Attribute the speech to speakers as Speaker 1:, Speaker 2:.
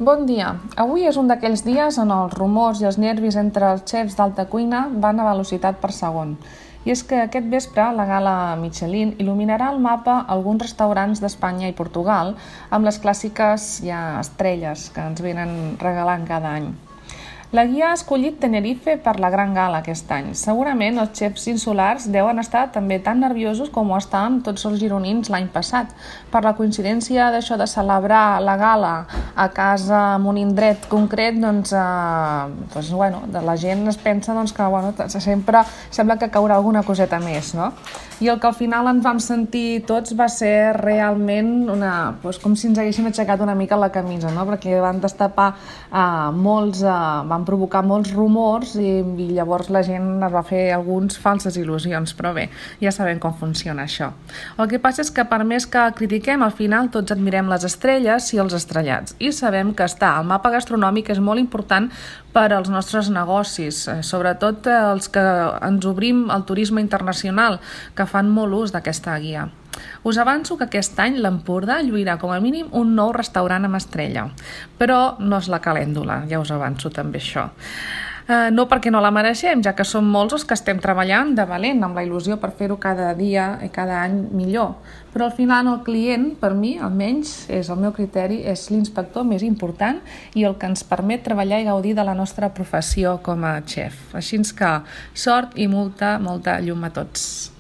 Speaker 1: Bon dia. Avui és un d'aquells dies on els rumors i els nervis entre els xefs d'alta cuina van a velocitat per segon. I és que aquest vespre la gala Michelin il·luminarà el mapa alguns restaurants d'Espanya i Portugal amb les clàssiques estrelles que ens venen regalant cada any. La guia ha escollit Tenerife per la gran gala aquest any. Segurament els xefs insulars deuen estar també tan nerviosos com ho estàvem tots els gironins l'any passat, per la coincidència d'això de celebrar la gala a casa en un indret concret, la gent es pensa que sempre sembla que caurà alguna coseta més, no? I el que al final ens vam sentir tots va ser realment com si ens haguessin aixecat una mica la camisa, no? Perquè van destapar van provocar molts rumors i llavors la gent es va fer algunes falses il·lusions, però bé, ja sabem com funciona això. El que passa és que per més que critiquem, al final tots admirem les estrelles i els estrellats i sabem que estar al mapa gastronòmic és molt important per als nostres negocis, sobretot els que ens obrim al turisme internacional, que fan molt ús d'aquesta guia. Us avanço que aquest any l'Empordà lluirà com a mínim un nou restaurant amb estrella, però no és la calèndula, ja us avanço també això. No perquè no la mereixem, ja que som molts els que estem treballant de valent amb la il·lusió per fer-ho cada dia i cada any millor. Però al final el client, per mi, almenys, és el meu criteri, és l'inspector més important i el que ens permet treballar i gaudir de la nostra professió com a xef. Així que sort i molta llum a tots.